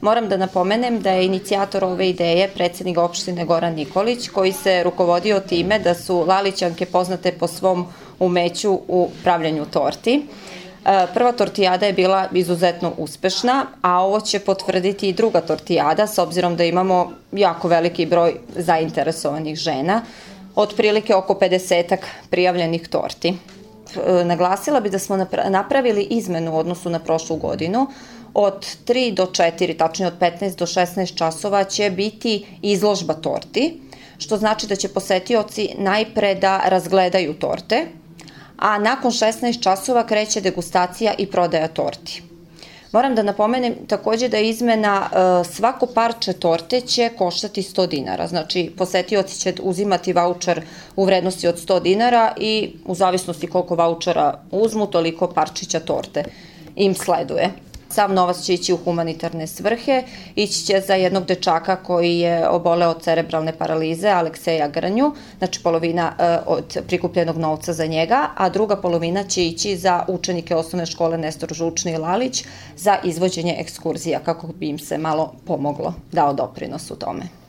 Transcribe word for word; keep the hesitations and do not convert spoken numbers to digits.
Moram da napomenem da je inicijator ove ideje predsednik opštine Goran Nikolić, koji se rukovodio time da su Lalićanke poznate po svom umeću u pravljanju torti. Prva tortijada je bila izuzetno uspešna, a ovo će potvrditi i druga tortijada, s obzirom da imamo jako veliki broj zainteresovanih žena, otprilike oko pedesetak prijavljenih torti. Naglasila bi da smo napravili izmenu u odnosu na prošlu godinu. Od tri do četiri, tačnije od petnaest do šesnaest časova će biti izložba torti, što znači da će posetioci najpre da razgledaju torte, a nakon šesnaest časova kreće degustacija i prodaja torti. Moram da napomenem takođe da izmena svako parče torte će koštati sto dinara, znači posetioci će uzimati vaučer u vrednosti od sto dinara i u zavisnosti koliko vaučera uzmu, toliko parčića torte im sleduje. Sav novac će ići u humanitarne svrhe, ići će za jednog dečaka koji je oboleo od cerebralne paralize, Alekseja Grnju, znači polovina od prikupljenog novca za njega, a druga polovina će ići za učenike osnovne škole Nestor Žučni i Lalić za izvođenje ekskurzija, kako bi im se malo pomoglo, dao doprinos u tome.